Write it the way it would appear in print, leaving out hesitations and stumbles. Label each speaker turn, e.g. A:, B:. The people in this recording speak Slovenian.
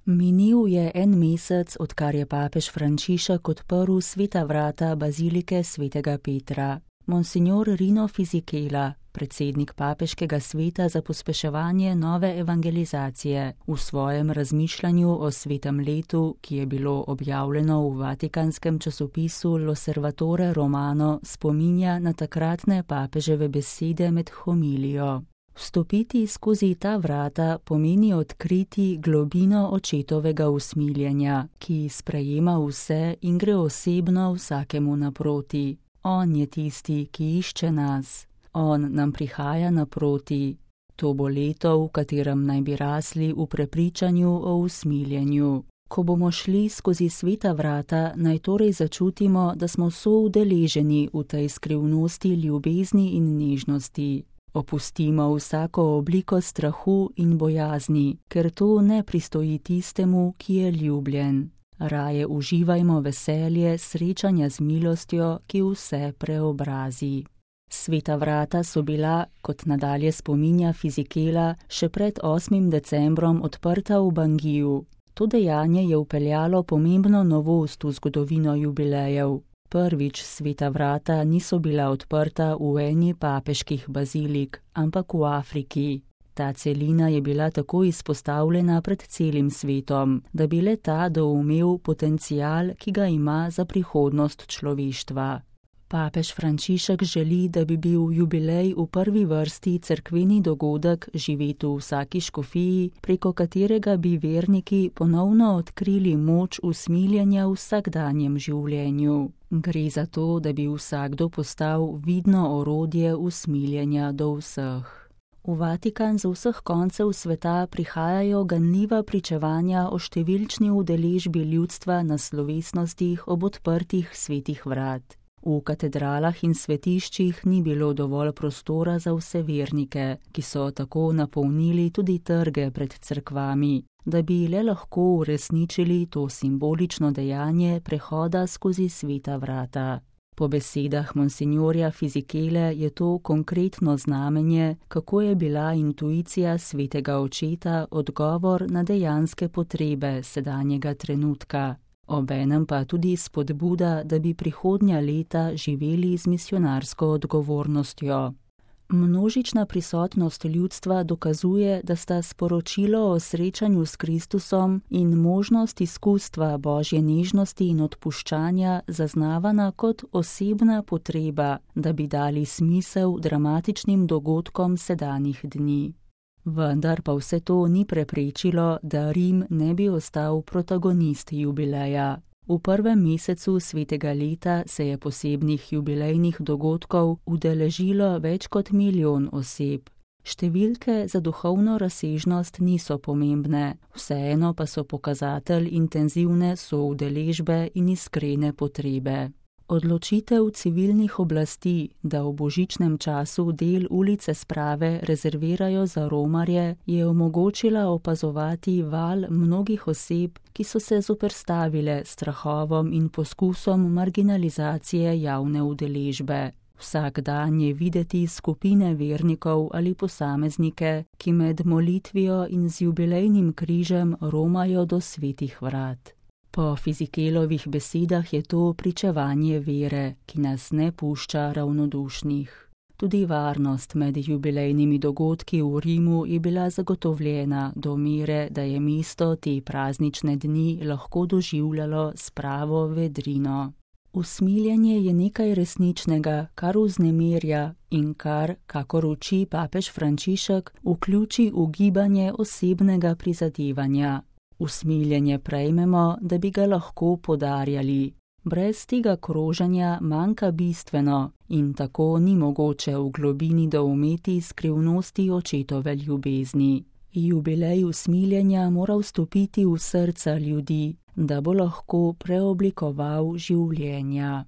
A: Minil je en mesec, odkar je papež Frančišek odprl sveta vrata bazilike svetega Petra. Monsignor Rino Fisichella, predsednik papeškega sveta za pospeševanje nove evangelizacije, v svojem razmišljanju o svetem letu, ki je bilo objavljeno v vatikanskem časopisu L'Osservatore Romano, spominja na takratne papeževe besede med homilijo. Vstopiti skozi ta vrata pomeni odkriti globino očetovega usmiljenja, ki sprejema vse in gre osebno vsakemu naproti. On je tisti, ki išče nas. On nam prihaja naproti. To bo leto, v katerem naj bi rasli v prepričanju o usmiljenju. Ko bomo šli skozi sveta vrata, naj torej začutimo, da smo soudeleženi v tej skrivnosti ljubezni in nežnosti. Opustimo vsako obliko strahu in bojazni, ker to ne pristoji tistemu, ki je ljubljen. Raje uživajmo veselje srečanja z milostjo, ki vse preobrazi. Sveta vrata so bila, kot nadalje spominja Fisichella, še pred 8. decembrom odprta v Bangiju. To dejanje je vpeljalo pomembno novost v zgodovino jubilejev. Prvič sveta vrata niso bila odprta v eni papeških bazilik, ampak v Afriki. Ta celina je bila tako izpostavljena pred celim svetom, da bi le ta doumel potencial, ki ga ima za prihodnost človeštva. Papež Frančišek želi, da bi bil jubilej v prvi vrsti cerkveni dogodek živet v vsaki škofiji, preko katerega bi verniki ponovno odkrili moč usmiljenja v vsakdanjem življenju. Gre za to, da bi vsakdo postal vidno orodje usmiljenja do vseh. V Vatikan z vseh koncev sveta prihajajo ganljiva pričevanja o številčni udeležbi ljudstva na slovesnostih ob odprtih svetih vrat. V katedralah in svetiščih ni bilo dovolj prostora za vse vernike, ki so tako napolnili tudi trge pred cerkvami, da bi le lahko uresničili to simbolično dejanje prehoda skozi sveta vrata. Po besedah monsignorja Fisichelle je to konkretno znamenje, kako je bila intuicija svetega očeta odgovor na dejanske potrebe sedanjega trenutka. Obenem pa tudi spodbuda, da bi prihodnja leta živeli z misionarsko odgovornostjo. Množična prisotnost ljudstva dokazuje, da sta sporočilo o srečanju s Kristusom in možnost izkustva Božje nežnosti in odpuščanja zaznavana kot osebna potreba, da bi dali smisel dramatičnim dogodkom sedanjih dni. Vendar pa vse to ni preprečilo, da Rim ne bi ostal protagonist jubileja. V prvem mesecu svetega leta se je posebnih jubilejnih dogodkov udeležilo več kot 1 milijon oseb. Številke za duhovno razsežnost niso pomembne, vseeno pa so pokazatelj intenzivne soudeležbe in iskrene potrebe. Odločitev civilnih oblasti, da v božičnem času del ulice Sprave rezervirajo za romarje, je omogočila opazovati val mnogih oseb, ki so se zoperstavile strahovom in poskusom marginalizacije javne udeležbe. Vsak dan je videti skupine vernikov ali posameznike, ki med molitvijo in z jubilejnim križem romajo do svetih vrat. Po Fisichellovih besedah je to pričevanje vere, ki nas ne pušča ravnodušnih. Tudi varnost med jubilejnimi dogodki v Rimu je bila zagotovljena do mere, da je mesto te praznične dni lahko doživljalo s pravo vedrino. Usmiljenje je nekaj resničnega, kar vznemirja in kar, kakor uči papež Frančišek, vključi v gibanje osebnega prizadevanja. Usmiljenje prejmemo, da bi ga lahko podarjali. Brez tega kroženja manjka bistveno in tako ni mogoče v globini doumeti skrivnosti očetove ljubezni. Jubilej usmiljenja mora vstopiti v srca ljudi, da bo lahko preoblikoval življenja.